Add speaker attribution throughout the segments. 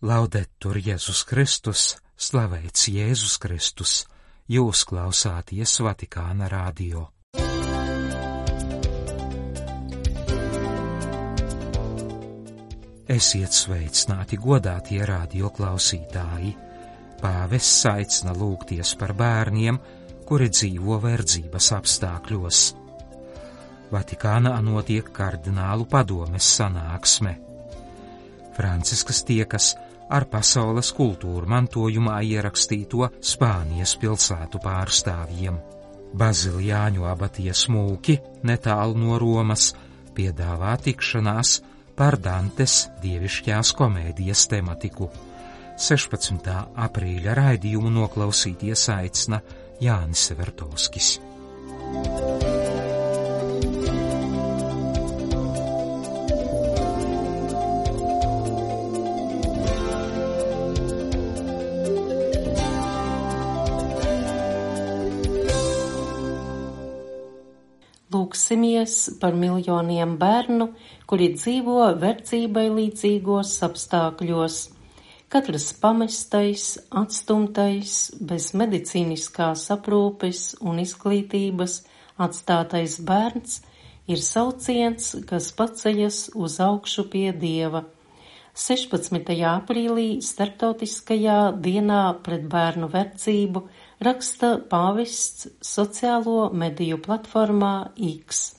Speaker 1: Laudetur Jēzus Kristus, slavēts Jēzus Kristus, jūs klausāties Vatikāna radio. Esiet sveicināti, godātie radio klausītāji. Pāvests aicina lūgties par bērniem, kuri dzīvo verdzības apstākļos. Vatikānā notiek kardinālu padomes sanāksme. Francisks tiekas ar pasaules kultūru mantojumā ierakstīto Spānijas pilsētu pārstāvjiem. Baziljāņu abatijas mūki netālu no Romas piedāvā tikšanās par Dantes dievišķās komēdijas tematiku. 16. aprīļa raidījumu noklausīties aicina Jānis Vertovskis.
Speaker 2: Lūksimies par miljoniem bērnu, kuri dzīvo verdzībai līdzīgos apstākļos. Katrs pamestais, atstumtais, bez medicīniskās aprūpes un izglītības atstātais bērns ir sauciens, kas paceļas uz augšu pie Dieva. 16. aprīlī starptautiskajā dienā pret bērnu verdzību raksta pāvests sociālo mediju platformā X.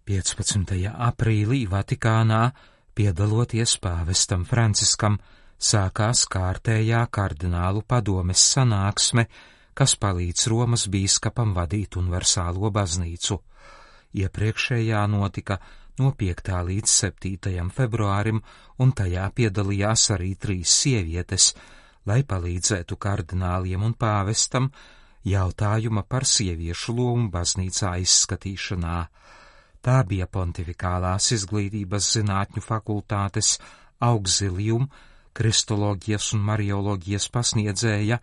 Speaker 1: 15. aprīlī Vatikānā, piedaloties pāvestam Franciskam, sākās kārtējā kardinālu padomes sanāksme, kas palīdz Romas bīskapam vadīt universālo baznīcu. Iepriekšējā notika no 5. līdz 7. februārim, un tajā piedalījās arī 3 sievietes, lai palīdzētu kardināliem un pāvestam jautājuma par sieviešu lomu baznīcā izskatīšanā. Tā bija Pontifikālās izglītības zinātņu fakultātes auxilium, kristoloģijas un marioloģijas pasniedzēja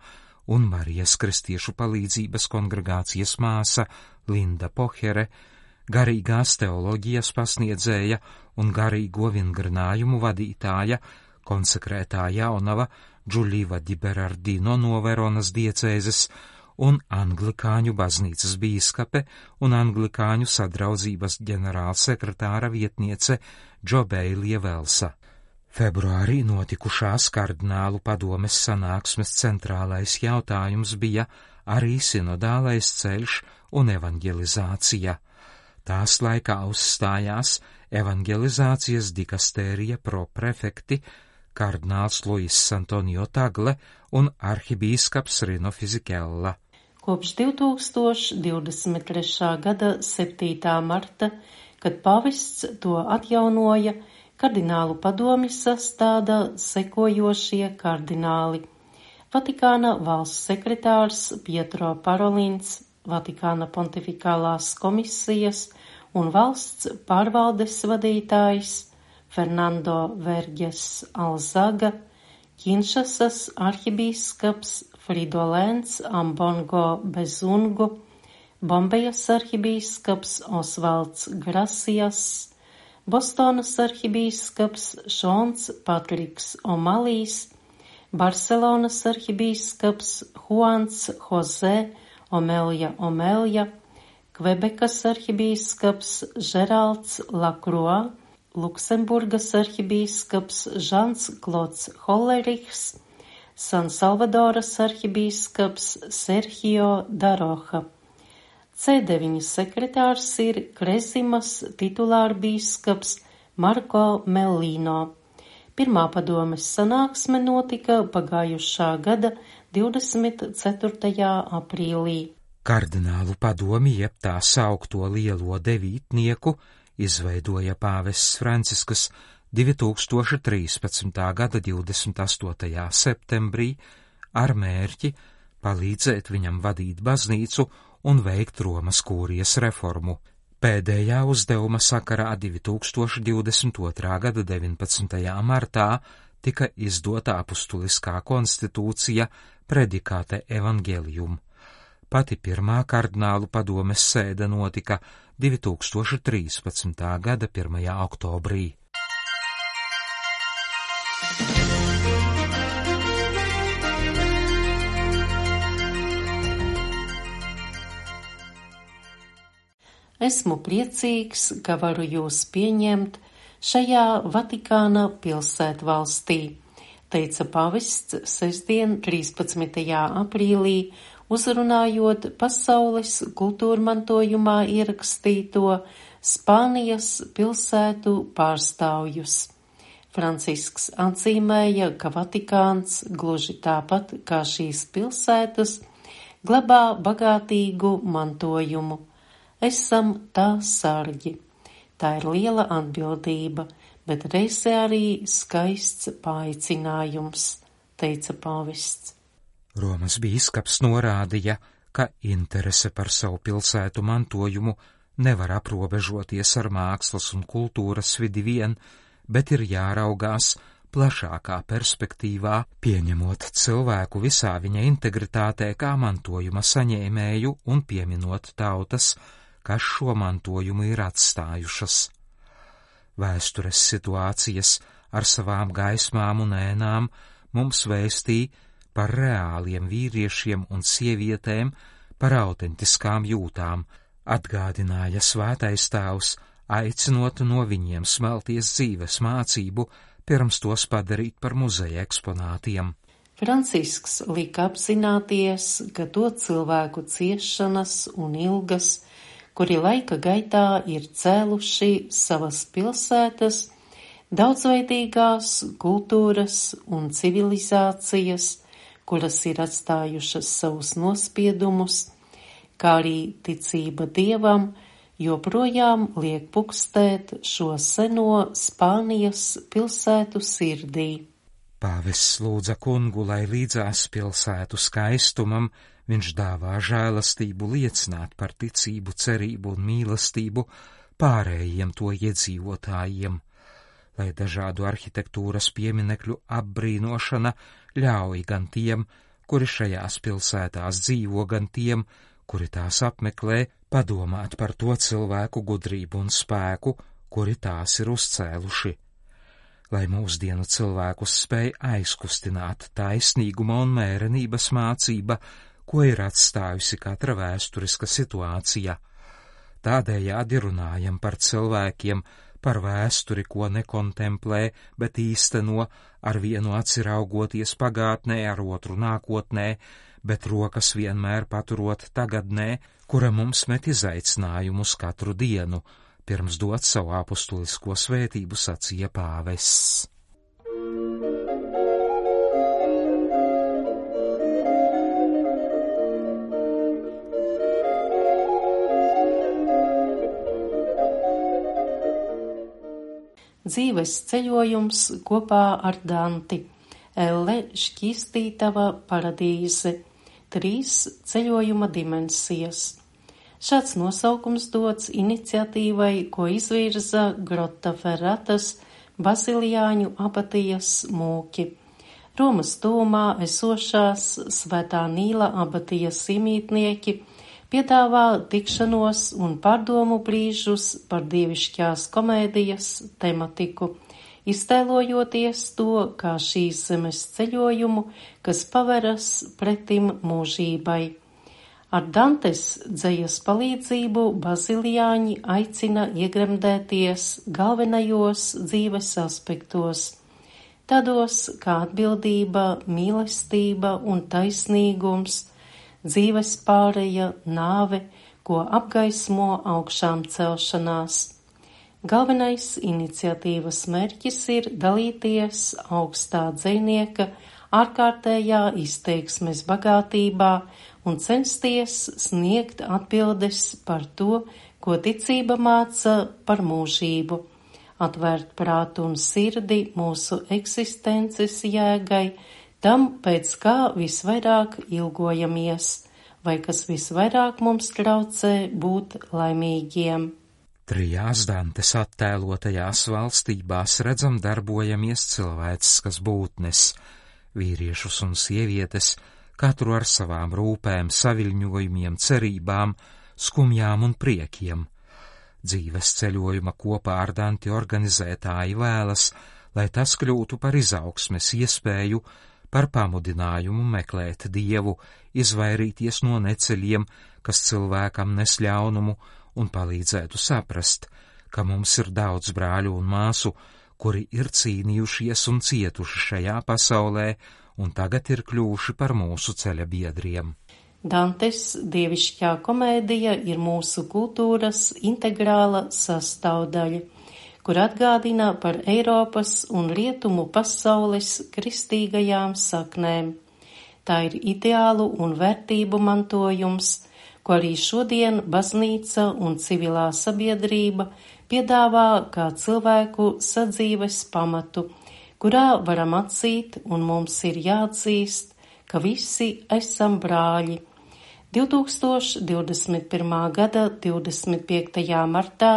Speaker 1: un Marijas kristiešu palīdzības kongregācijas māsa Linda Pohere, garīgās teoloģijas pasniedzēja un garīgo vingrinājumu vadītāja, konsekrētā jaunava Džuliva di Berardino no Veronas diecēzes un anglikāņu baznīcas bīskape un anglikāņu sadraudzības ģenerālsekretāra vietniece Džobeilija Velsa. Februārī notikušās kardinālu padomes sanāksmes centrālais jautājums bija arī sinodālais ceļš un evangelizācija. Tās laikā uzstājās evangelizācijas dikastērija proprefekti kardināls Luis Antonio Tagle un arhibīskaps Rino Fizikella.
Speaker 2: Kopš 2023. gada 7. marta, kad pāvests to atjaunoja, kardinālu padomi sastāda sekojošie kardināli: Vatikāna valsts sekretārs Pietro Parolins, Vatikāna pontifikālās komisijas un valsts pārvaldes vadītājs Fernando Verges Alzaga, Kinšasas arhibīskaps Fridolēns Ambongo Bezungu, Bombejas arhibīskaps Osvalds Grasias, Bostonas arhibīskaps Šons Patriks Omalīs, Barcelonas arhibīskaps Juans Jose Omelja, Kvebekas arhibīskaps Žeralds Lakroa, Luksemburgas arhibīskaps Žans Klods Hollerichs, San Salvadoras arhibīskaps Sergio Daroha. C9 sekretārs ir Krezimas titulārbīskaps Marko Mellino. Pirmā padomes sanāksme notika pagājušā gada 24. aprīlī.
Speaker 1: Kardinālu padomi, jeb tā saukto lielo devītnieku, izveidoja pāvests Francisks 2013. gada 28. septembrī ar mērķi palīdzēt viņam vadīt baznīcu un veikt Romas kūrijas reformu. Pēdējā uzdevuma sakarā 2022. gada 19. martā tika izdota apustuliskā konstitūcija Predikāte Evangelium. Pati pirmā kardinālu padomes sēde notika 2013. gada 1. oktobrī.
Speaker 2: Esmu priecīgs, ka varu jūs pieņemt šajā Vatikāna pilsētvalstī, teica pavests sestdien 13. aprīlī, uzrunājot pasaules kultūrmantojumā ierakstīto Spānijas pilsētu pārstāvjus. Francisks atzīmēja, ka Vatikāns, gluži tāpat kā šīs pilsētas, glabā bagātīgu mantojumu. Esam tā sargi. Tā ir liela atbildība, bet reizē arī skaists paaicinājums, teica pavests.
Speaker 1: Romas bīskaps norādīja, ka interese par savu pilsētu mantojumu nevar aprobežoties ar mākslas un kultūras vidi vien, bet ir jāraugās plašākā perspektīvā, pieņemot cilvēku visā viņa integritātē kā mantojuma saņēmēju un pieminot tautas, kas šo mantojumu ir atstājušas. Vēstures situācijas ar savām gaismām un ēnām mums vēstīja par reāliem vīriešiem un sievietēm, par autentiskām jūtām, atgādināja svētais tēvs, aicinot no viņiem smelties dzīves mācību, pirms tos padarīt par muzeja eksponātiem.
Speaker 2: Francisks lika apzināties, ka to cilvēku ciešanas un ilgas, kuri laika gaitā ir cēluši savas pilsētas, daudzveidīgās kultūras un civilizācijas, kuras ir atstājušas savus nospiedumus, kā arī ticība Dievam, joprojām liek pukstēt šo seno Spānijas pilsētu sirdī.
Speaker 1: Pāvests lūdza kungu, lai līdzās pilsētu skaistumam viņš dāvā žēlastību liecināt par ticību, cerību un mīlestību pārējiem to iedzīvotājiem, lai dažādu arhitektūras pieminekļu apbrīnošana ļauj gan tiem, kuri šajās pilsētās dzīvo, gan tiem, kuri tās apmeklē, padomāt par to cilvēku gudrību un spēku, kuri tās ir uzcēluši. Lai mūsdienu cilvēkus spēj aizkustināt taisnīguma un mērenības mācība, ko ir atstājusi katra vēsturiska situācija. Tādējādi runājam par cilvēkiem, par vēsturi, ko nekontemplē, bet īsteno, ar vienu aci raugoties pagātnē, ar otru nākotnē, bet rokas vienmēr paturot tagadnē, kura mums met izaicinājumus katru dienu, pirms dot savu apustulisko svētību, sacīja pāvests.
Speaker 2: Dzīves ceļojums kopā ar Danti, Elle šķīstītava paradīze, 3 ceļojuma dimensijas. Šāds nosaukums dots iniciatīvai, ko izvirza Grottaferratas Baziljāņu abatijas mūki. Romas tuvumā esošās Svētā Nīla abatijas iemītnieki piedāvā tikšanos un pārdomu brīžus par dievišķās komēdijas tematiku, iztēlojoties to kā šīs zemes ceļojumu, kas paveras pretim mūžībai. Ar Dantes dzejas palīdzību Baziljāņi aicina iegremdēties galvenajos dzīves aspektos, tādos kā atbildība, mīlestība un taisnīgums, dzīves pāreja, nāve, ko apgaismo augšām celšanās. Galvenais iniciatīvas mērķis ir dalīties augstā dzejnieka ārkārtējā izteiksmes bagātībā un censties sniegt atbildes par to, ko ticība māca par mūžību, atvērt prātu un sirdi mūsu eksistences jēgai, tam, pēc kā visvairāk ilgojamies, vai kas visvairāk mums traucē būt laimīgiem.
Speaker 1: 3 Dantes attēlotajās valstībās redzam darbojamies cilvēciskas būtnes, vīriešus un sievietes, katru ar savām rūpēm, saviļņojumiem, cerībām, skumjām un priekiem. Dzīves ceļojuma kopā ar Danti organizētāji vēlas, lai tas kļūtu par izaugsmes iespēju, par pamudinājumu meklēt Dievu, izvairīties no neceļiem, kas cilvēkam nes ļaunumu, un palīdzētu saprast, ka mums ir daudz brāļu un māsu, kuri ir cīnījušies un cietuši šajā pasaulē, un tagad ir kļuvuši par mūsu ceļa biedriem.
Speaker 2: Dantes dievišķā komēdija ir mūsu kultūras integrāla sastāvdaļa, kur atgādina par Eiropas un Rietumu pasaules kristīgajām saknēm. Tā ir ideālu un vērtību mantojums, ko arī šodien baznīca un civilā sabiedrība piedāvā kā cilvēku sadzīves pamatu, kurā varam atzīt un mums ir jāatzīst, ka visi esam brāļi. 2021. gada 25. martā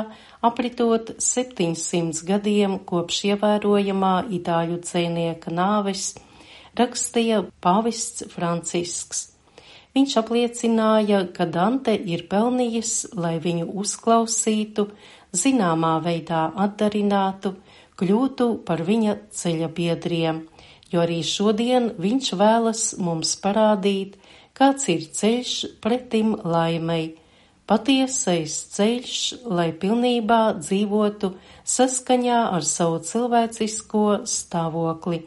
Speaker 2: apritot 700 gadiem kopš ievērojamā itāļu dzejnieka nāves, rakstīja pāvests Francisks. Viņš apliecināja, ka Dante ir pelnījis, lai viņu uzklausītu, zināmā veidā atdarinātu, kļūtu par viņa ceļa biedriem, jo arī šodien viņš vēlas mums parādīt, kāds ir ceļš pretim laimei, patiesais ceļš, lai pilnībā dzīvotu saskaņā ar savu cilvēcisko stāvokli,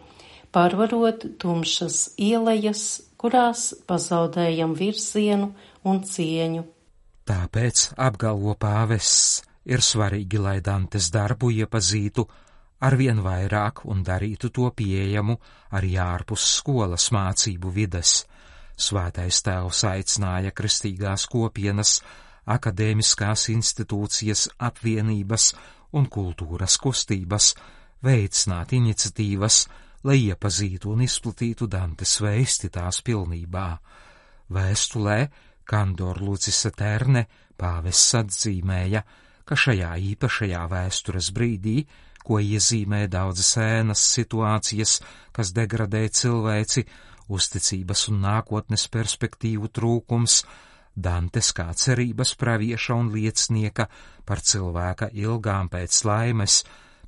Speaker 2: pārvarot tumšas ielejas, kurās pazaudējam virzienu un cieņu.
Speaker 1: Tāpēc, apgalvo pāvests, ir svarīgi, lai Dantes darbu iepazītu arvien vairāk un darītu to pieejamu arī ārpus skolas mācību vides. Svētais tēvs aicināja kristīgās kopienas, akadēmiskās institūcijas, apvienības un kultūras kustības veicināt iniciatīvas, lai iepazītu un izplatītu Dantes vēsti tās pilnībā. Vēstulē Candor Lucis Eterne pāvests atzīmēja, ka šajā īpašajā vēstures brīdī, ko iezīmē daudzas ēnas situācijas, kas degradē cilvēci, uzticības un nākotnes perspektīvu trūkums, Dantes kā cerības pravieša un liecinieka par cilvēka ilgām pēc laimes,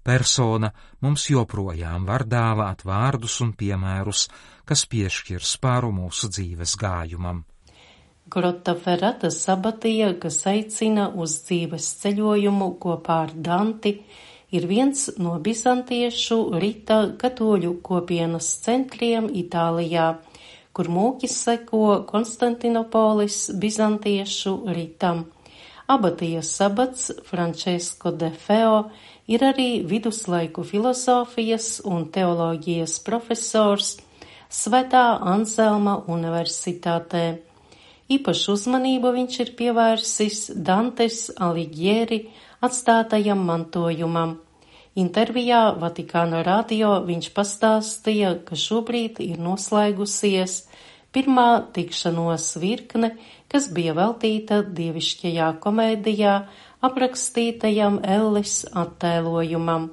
Speaker 1: persona mums joprojām var dāvāt vārdus un piemērus, kas piešķir spāru mūsu dzīves gājumam.
Speaker 2: Grottaferrata sabatija, kas aicina uz dzīves ceļojumu kopā ar Danti, ir viens no bizantiešu rita katoļu kopienas centriem Itālijā, kur mūki seko Konstantinopolis bizantiešu ritam. Abatijas sabats Francesco de Feo ir arī viduslaiku filozofijas un teoloģijas profesors Svētā Anselma universitātē. Īpašu uzmanību viņš ir pievērsis Dantes Alighieri atstātajam mantojumam. Intervijā Vatikāna radio viņš pastāstīja, ka šobrīd ir noslēgusies pirmā tikšanos virkne, kas bija veltīta dievišķajā komēdijā aprakstītajam Elles attēlojumam.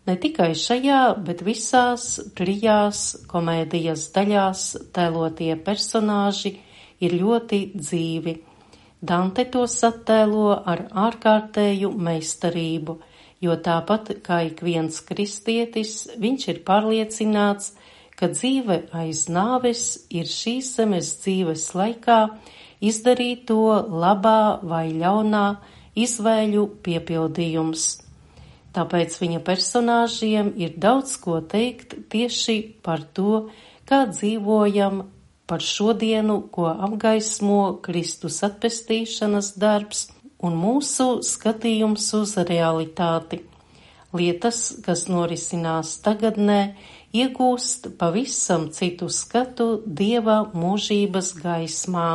Speaker 2: Ne tikai šajā, bet visās trijās komēdijas daļās tēlotie personāži ir ļoti dzīvi. Dante tos attēlo ar ārkārtēju meistarību, jo tāpat kā ik viens kristietis, viņš ir pārliecināts, ka dzīve aiz nāves ir šīs zemes dzīves laikā izdarīto labā vai ļaunā izvēļu piepildījums. Tāpēc viņa personāžiem ir daudz ko teikt tieši par to, kā dzīvojam par šodienu, ko apgaismo Kristus atpestīšanas darbs un mūsu skatījums uz realitāti. Lietas, kas norisinās tagadnē, iegūst pavisam citu skatu Dieva mūžības gaismā.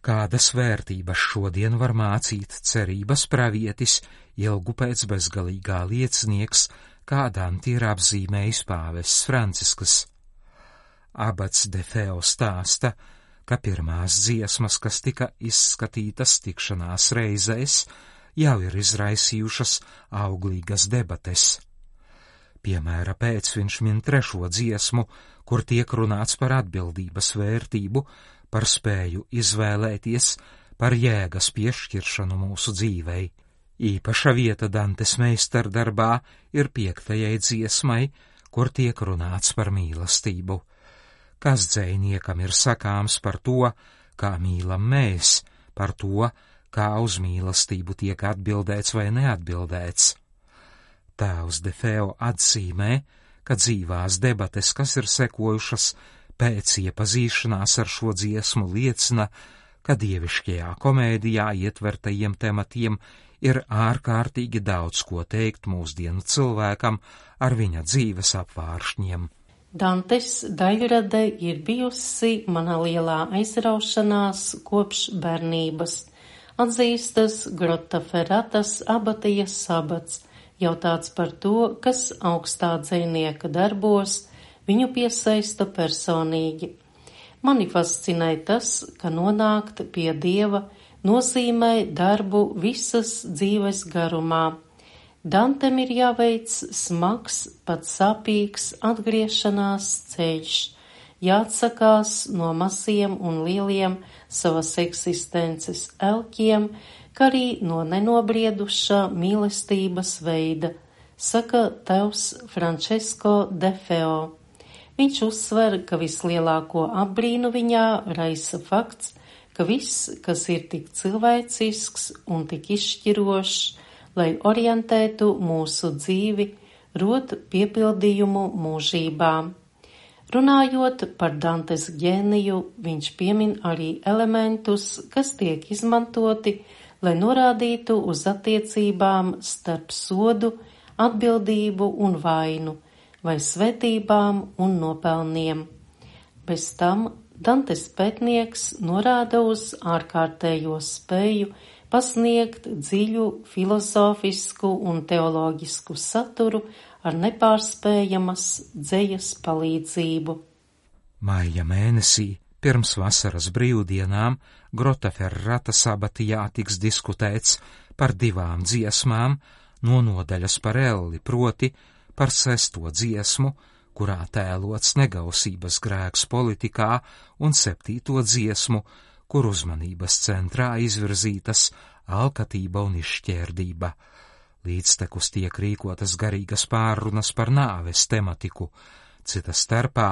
Speaker 1: Kādas vērtības šodien var mācīt cerības pravietis, ilgu pēc bezgalīgā liecinieks, kā Danti ir apzīmējis pāvests Francisks. Abats de Feo stāsta, ka pirmās dziesmas, kas tika izskatītas tikšanās reizēs, jau ir izraisījušas auglīgas debates. Piemēra pēc viņš min 3. dziesmu, kur tiek runāts par atbildības vērtību, par spēju izvēlēties, par jēgas piešķiršanu mūsu dzīvei. Īpaša vieta Dantes meistardarbā ir 5. dziesmai, kur tiek runāts par mīlestību. Kas dzejniekam ir sakāms par to, kā mīlam mēs, par to, kā uz mīlestību tiek atbildēts vai neatbildēts? Tēvs Defeo atzīmē, ka dzīvās debates, kas ir sekojušas pēc iepazīšanās ar šo dziesmu, liecina, ka dievišķajā komēdijā ietvertajiem tematiem ir ārkārtīgi daudz ko teikt mūsdienu cilvēkam ar viņa dzīves apvāršņiem.
Speaker 2: Dantes daļrade ir bijusi mana lielā aizraušanās kopš bērnības. Atzīstas Grottaferratas abatijas abats, jautāts par to, kas augstā dzejnieka darbos viņu piesaista personīgi. Mani fascinē tas, ka nonākt pie Dieva nozīmē darbu visas dzīves garumā. Dantem ir jāveic smags, pat sāpīgs atgriešanās ceļš, jāatsakās no maziem un lieliem savas eksistences elkiem, kā arī no nenobriedušā mīlestības veida, saka tēvs Francesco Defeo. Viņš uzsver, ka vislielāko apbrīnu viņā raisa fakts, ka viss, kas ir tik cilvēcisks un tik izšķirošs, lai orientētu mūsu dzīvi, rod piepildījumu mūžībā. Runājot par Dantes ģēniju, viņš piemin arī elementus, kas tiek izmantoti, lai norādītu uz attiecībām starp sodu, atbildību un vainu, vai svētībām un nopelniem. Bez tam Dantes pētnieks norāda uz ārkārtējo spēju pasniegt dziļu filozofisku un teoloģisku saturu ar nepārspējamas dzejas palīdzību.
Speaker 1: Maija mēnesī pirms vasaras brīvdienām Grottaferratas abatijā tiks diskutēts par 2 dziesmām no nodaļas par elli, proti par 6. dziesmu, kurā tēlots negausības grēks politikā, un 7. dziesmu, kur uzmanības centrā izvirzītas alkatība un izšķērdība. Līdztekus tiek rīkotas garīgas pārrunas par nāves tematiku. Cita starpā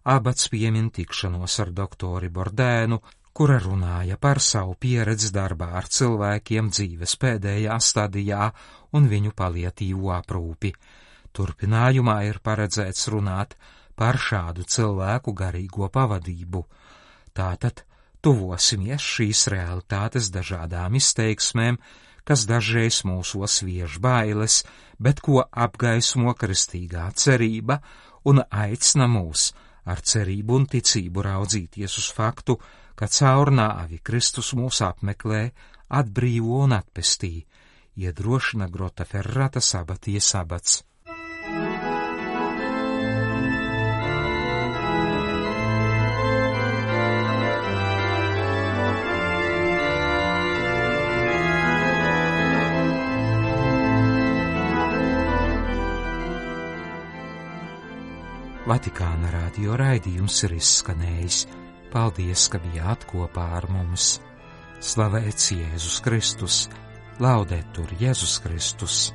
Speaker 1: abats piemin tikšanos ar doktori Bordēnu, kura runāja par savu pieredzi darbā ar cilvēkiem dzīves pēdējā stadijā un viņu paliatīvo aprūpi. Turpinājumā ir paredzēts runāt par šādu cilvēku garīgo pavadību. Tātad tuvosimies šīs realitātes dažādām izteiksmēm, kas dažreiz mūsos vieš bailes, bet ko apgaismo kristīgā cerība un aicina mūs ar cerību un ticību raudzīties uz faktu, ka caur nāvi Kristus mūs apmeklē, atbrīvo un atpestī, iedrošina Grottaferratas abatijas abats. Vatikāna radio raidījums ir izskanējis. Paldies, ka bijāt kopā ar mums. Slavēts Jēzus Kristus, laudetur Jēzus Kristus.